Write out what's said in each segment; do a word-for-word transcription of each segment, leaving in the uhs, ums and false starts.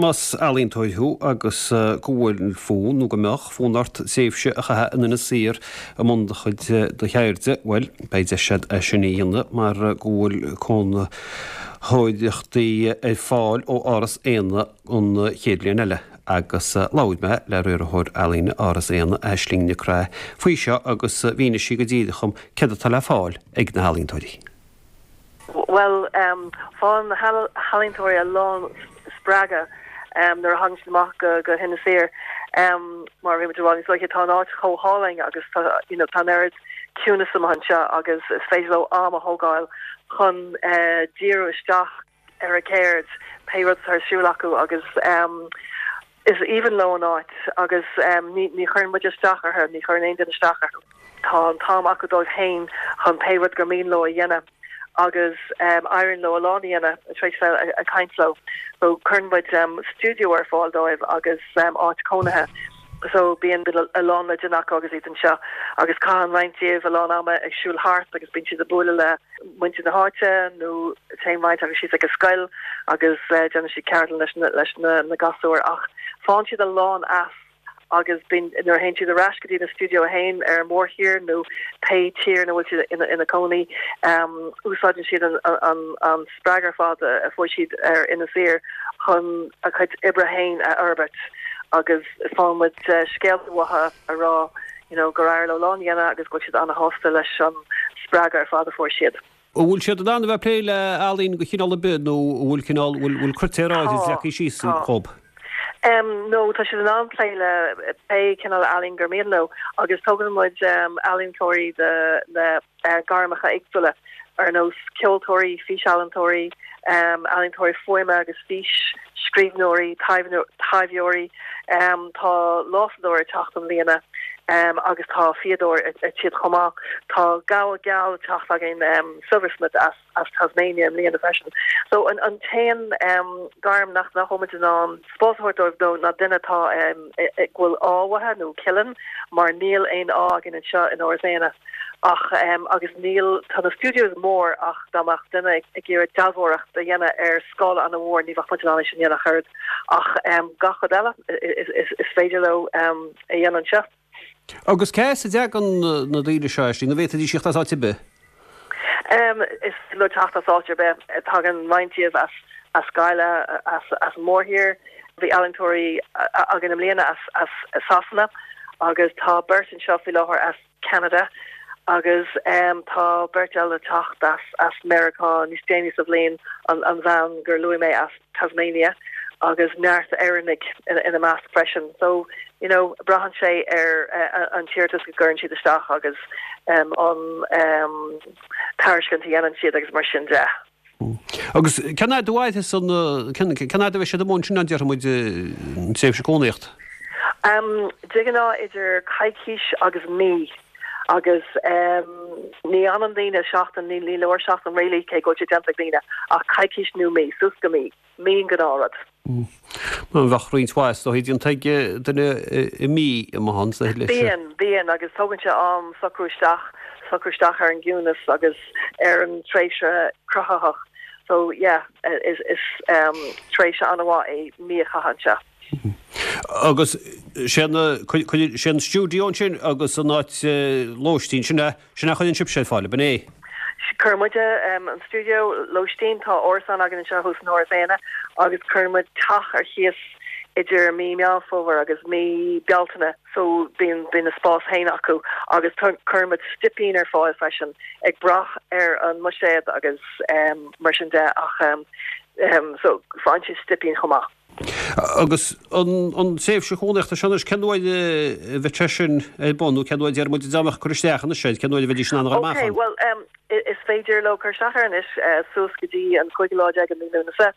Más ealaíontóir thú agus go bhfuil fonn nó go mbeadh fonn ort tréimhse a chaitheamh in Inis Oírr i mbun do chuid do cheirde, bhuel, beidh deis agat é sin a dhéanamh mar go bhfuil cónaitheoireachtaí ar fáil ó Áras Éanna an chéad bhliain eile agus labhair mé le riarthóir ealaíne Áras Éanna, Aisling Nic Craith, faoi seo agus mhínigh sí go díreach dom céard atá le fáil ag na healaíontóirí. Well, um, faigheann na healaíontóirí a lán spreagadh um, nuair a thagann siad amach go go hInis Oírr um, mar bhí muid ag rá tá an áit chomh hálainn agus tá you know, tá an ciúnas anseo agus is féidir leo am a thógáil chun uh, díriú isteach ar a gceird pé rud ar siúl acu agus um, is aoibhinn leo an áit agus um, ní, ní chuireann muid isteach orthu ní chuireann aon duine isteach orthu. Tá an t-am acu dóibh féin chun pé rud gur mian leo a dhéanamh agus um, éiríonn leo a lán a dhéanamh tar éis a caint leo. So cuireann muid um, studio ar fáil dóibh agus um, áit cónaithe. So bíonn a lán le déanamh acu agus iad anseo agus caitheann roinnt díobh a lán ama ag siúl thart agus bíonn siad ag bualadh le muintir na háite nó téann roinnt acu síos ag a scoil agus uh, déanann siad ceardlann leis na, leis na, na gasúir ach faigheann siad a lán as agus bíonn nuair a théann siad ar ais go dtí na studio féin ar an mórthír nó pé tír ina bhfuil siad ina ina cónaí um, úsáideann siad an, an, an spreagadh ar fad a fuair siad ar Inis Oírr chun a chuid oibre féin a fhorbairt agus faigheann muid uh, scéalta uathu a rá you know, gur éirigh leo a lán a dhéanamh agus go bhfuil siad an-shásta leis an spreagadh ar fad a fuair siad. An bhfuil siad in ann a bheith plé le ealaín de chineál ar bith nó bhfuil cineál bhfuil critéir leagtha síos dóibh. Um, no tá siad in ann plé le pé cineál ealaín gur mian leo agus tógann muid um, ealaíontóirí de le uh, gairmeacha éagsúla ar nós ceoltóirí, físealaíontóirí, um, ealaíontóirí fuaime agus fís scríbhneoirí, taibheoirí, um, tá lásadóir ag teacht i mbliana um, agus tá fíodóir ag teacht chomh maith. Tá gabha geal ag teacht againn um, silversmith as, as Tasmania i mbliana freisin. So an, an t-aon um, gairm nach nach bhfuil muid in ann spás a thabhairt dóibh ná duine atá um, bhfuil ádh uathu nó cillin mar níl aon ádh againn anseo in Áras Éanna. ach um, agus níl tá na studios mór ach dá mbeadh duine ag iarraidh dealbhóireacht a dhéanamh ar scála an-mhór ní bheadh muid in ann sin a dhéanamh ach um, gach rud eile is, is, is féidir leo um, a dhéanamh anseo. Agus cé as a dtagann na daoine seo sin na bhféadfaidís teacht as áit ar bith? Um, is le teacht as áit ar bith tagann roinnt díobh as as Gaillimh as as mórthír bhí ealaíontóirí againn i mbliana as as Sasana agus tá beirt anseo faoi láthair as Canada agus um, tá beirt eile ag teacht as as Meiriceá níos déanaí sa bhliain an, an bhean gur luaigh mé as Tasmania agus neart Éireannaigh ina, ina measc freisin. So you know, braitheann sé ar uh, an t-iarratas go gcuireann siad isteach agus um, an um, tairiscint a dhéanann siad agus mar sin de. Agus cén fhad a san cén fhad a bheidh siad amuigh ansin an déarfaidh muid an tréimhse cónaíocht? Um, de ghnáth idir coicís agus mí agus um, ní fhanann daoine seachtain ní ní leor seachtain really cé go déanta daoine ach coicís nó mí suas go mí mí an gnáthrud. Má bheadh roinnt mhaith ó an tuige duine i mí i han sa le. Bíonn bíonn agus tógann sé am socrú isteach socrú isteach ar an gciúnas agus ar an tréimhse cruthaitheach. So yeah, is is um, tréimhse an-mhaith é mí a chaitheamh anseo. Agus sé sé an stiúideo sin agus an áit lóistín sin sin a chuireann sibh ar fáil, ab é. Cuireann muid um, an studio lóistín tá árasán againn anseo thuas in Áras Éanna agus cuireann muid teach ar cíos idir mí Meán Fómhair agus mí Bealtaine so bíonn bíonn a spás féin acu agus cuireann muid stipín ar fáil freisin ag brath ar an mbuiséad agus um, mar sin de ach um, um, so faigheann siad stipín chomh maith. Agus an an tréimhse chónaíochta sin cén uair a bheidh sin ar bun nó cén uair a muid deamach chur isteach an sé cén uair a bheidh sin an Okay, well um, is féidir leo cur isteach anois uh, suas go dtí an cúigiú lá déag de mhí Lúnasa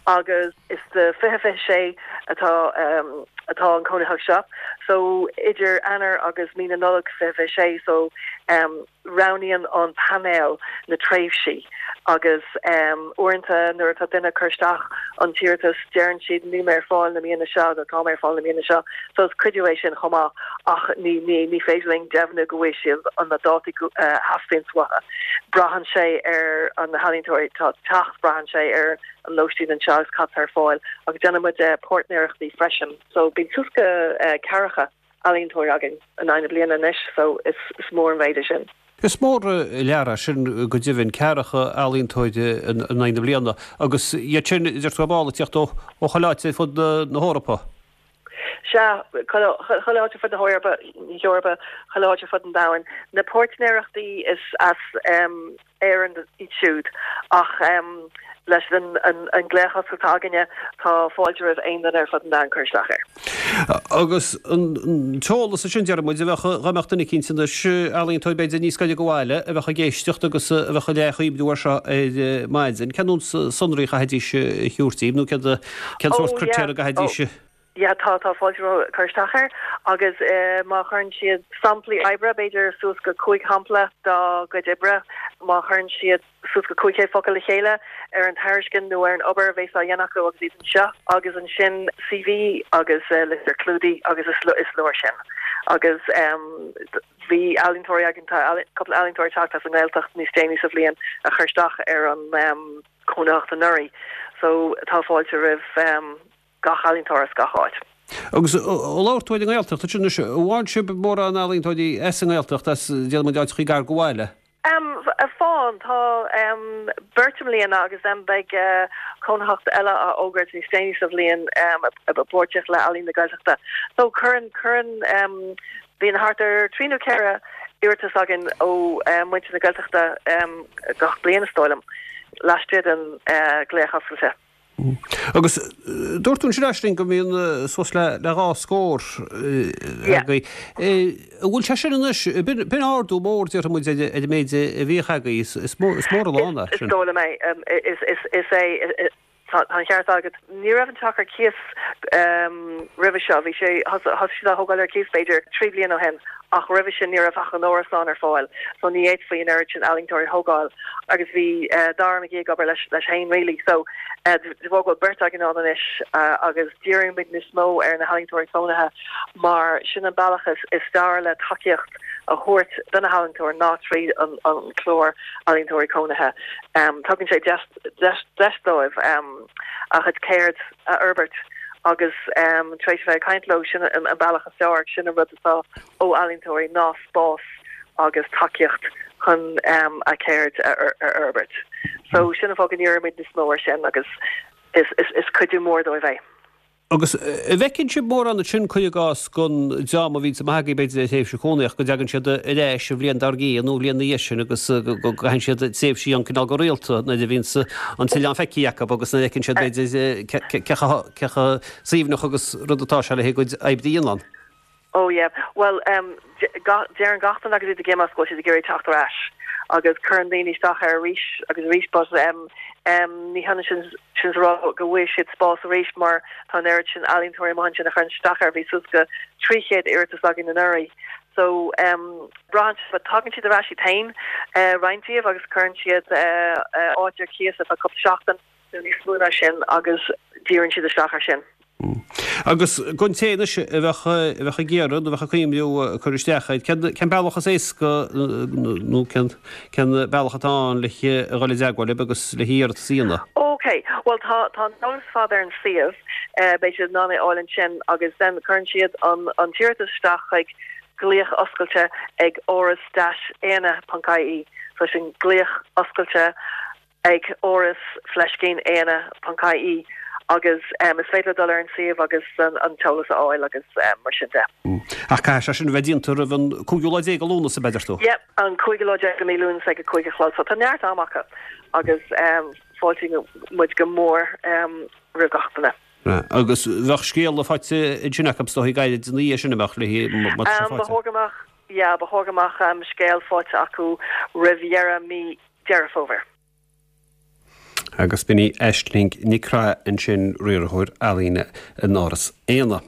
agus is de fiche fiche sé atá um, atá an cónaitheacht seo. So idir Eanáir agus mí na Nollag fiche fiche sé so Roghnaíonn an painéal na tréimhsí agus uaireanta nuair atá duine ag cur isteach an t-iarratas deireann siad níl mé ar fáil na míonna seo nó tá mé ar fáil na míonna seo. So is cuidiú é sin chomh maith ach ní ní ní féidir linn deimhniú go bhfuil siad an na dátaí a theastaíonn uathu. Braitheann sé ar an na healaíontóirí atá ag teacht, braitheann sé ar an lóistín anseo agus cad atá ar fáil agus déanann muid páirtnéireachtaí freisin. So bíonn suas go ceathracha ealaíontóir againn in aghaidh na bliana anois so is is mór an méid é sin. Is mór lear é sin go deimhin, ceathracha ealaíontóir in aghaidh na bliana agus iad sin deir tú ag tíocht ó ó chuile áit ar fud na hEorpa. Sea, chuile áit ar fud na hEorpa, hEorpa, chuile áit ar fud an domhain. Na páirtnéireachtaí is as Éirinn iad siúd ach leis an an glaoch oscailte atá againne tá fáilte roimh aon duine ar fud an domhain cur isteach air. Agus an t-eolas sin deir muid a bheadh dá mbeadh duine eicínt anois, ealaíontóir b'fhéidir níos gaire go bhaile a bheadh ag éisteacht agus a bheadh le cuimhniú air seo ar maidin. Cén sonraí a chaithfidís a thabhairt daoibh nó cén sórt critéir a gcaithfidís Yeah tá tá fáilte roimh cur isteach air agus má chuireann siad samplaí oibre, b'fhéidir suas go cúig shampla dá gcuid oibre, má chuireann siad suas go cúig chéad focal le chéile ar an tairiscint nó ar an obair a bheas á dhéanamh acu agus iad anseo agus ansin CV agus litir chlúdaigh agus is is leor sin. Agus bhí ealaíontóirí againn tá cúpla ealaíontóir ag teacht as an nGaeltacht níos déanaí sa bhliain a chuir isteach ar an cónaitheacht anuraidh so tá fáilte roimh gach ealaíontóir as gach áit. Agus ó labhair tú ar an nGaeltacht ansin anois, an bhfaigheann sibh mórán ealaíontóirí as an nGaeltacht, as déarfaidh muid áiteachaí gar go bhaile? Faigheann, tá beirt i mbliana agus then beidh cónaitheacht eile á fhógairt níos déanaí sa bhliain i bpáirtíocht le Ealaín na Gaeltachta. So cuireann, cuireann, bíonn thart ar trí nó ceithre iarratas againn ó muintir na Gaeltachta gach bliain is dóigh liom, laistigh den ghlaoch oscailte. Agus dúirt tú ansin Aisling go mbíonn suas le dhá scór agaibh. An bhfuil sé sin anois, b'in ardú mór déarfaidh muid ar an méid a bhíodh agaibh, is mór a lán é sin. Is dóigh liom é. Is é tá an ceart agat. Ní raibh an teach ar cíos roimhe seo, bhí sé, thosaigh siad á thógáil ar cíos b'fhéidir trí bliana ó shin ach roimhe sin ní raibh ach an árasán ar fáil so ní fhéadfaí an oiread sin ealaíontóirí a thógáil agus bhí Dara McGee ag obair leis leis féin really so de bharr go bhfuil beirt againn ann anois agus díríonn muid níos mó ar na healaíontóirí cónaithe mar sin an bealach is is fearr le tacaíocht a thabhairt do na healaíontóirí ná tríd an an clár ealaíontóirí cónaithe. Tugann sé deis deis deis dóibh a gcuid ceird a fhorbairt agus tar éis a bheith ag caint leo sin an bealach is fearr sin an rud atá ó ealaíontóirí ná spás agus tacaíocht chun a gceird a fhorbairt. So sin an fáth go ndírímid níos mó air sin agus is is is cuidiú mór dóibh é. Agus an bhfeiceann sibh mórán ansin, cuir i gcás, den dream a bhíonns amach agaibh b'fhéidir ar thréimhse chónaitheach, go dtagann siad ar ais an bhliain dár gcionn nó an bhliain ina dhiaidh sin agus go gcaitheann siad tréimhsí ann cineál go rialta nuair a bhíonns an t-oileán feicthe acu agus nuair a fheiceann siad b'fhéidir cé chomh suaimhneach agus rud atá sé le haghaidh a gcuid oibre a dhéanamh ann. Oh yeah, bhuel deireann gach duine agus iad ag imeacht go bhfuil siad ag iarraidh teacht ar ais agus cuireann daoine isteach air arís agus arís but ní hionann sin sin is a rá go bhfaighidh siad spás arís mar tá an oiread sin ealaíontóirí amuigh ansin a chuireann isteach air, bhí suas go trí chéad iarratas againn anuraidh so braitheann sé but tagann siad ar ais iad féin roinnt díobh agus cuireann siad áit ar cíos ar feadh cúpla seachtain nó níos mó ná sin agus díríonn siad isteach air sin. Agus don té anois a bheadh a bheadh ag iarraidh nó a bheadh ag cuimhniú cur isteach air, cén cén bealach is éasca nó cén cén bealach atá ann le a dhul i dteagmháil libh agus le hiarratas a dhéanamh? Ok, bhuel tá tá an t-eolas ar fad ar an suíomh, beidh siad in ann é a fháil ansin agus then cuireann siad an an t-iarratas isteach chuig glaoch oscailte ag áras dash éanna ponc ie, so sin glaoch oscailte ag áras fleiscín éanna ponc ie agus is féidir leo dul ar an suíomh agus an t-eolas a fháil agus mar sin de. Ach caithfidh sé sin a bheith déanta roimh an cúigiú lá déag de Lúnasa, ab ea, deir tú? Yep, an cúigiú lá déag de mí Lúnasa ag a cúig a chlog so tá neart ama acu agus fáiltíonn muid go mór roimh gach duine. Agus bheadh scéala faighte ansin acu is dóigh gairid ina dhiaidh sin, an mbeadh, léi má tá sé faighte? Ba chóir go mbeadh, yeah, ba chóir go mbeadh scéal faighte acu roimh dheireadh mí Deireadh Fómhair. Agus b'in í Aisling Nic Craith ansin, riarthóir ealaíne in Áras Éanna.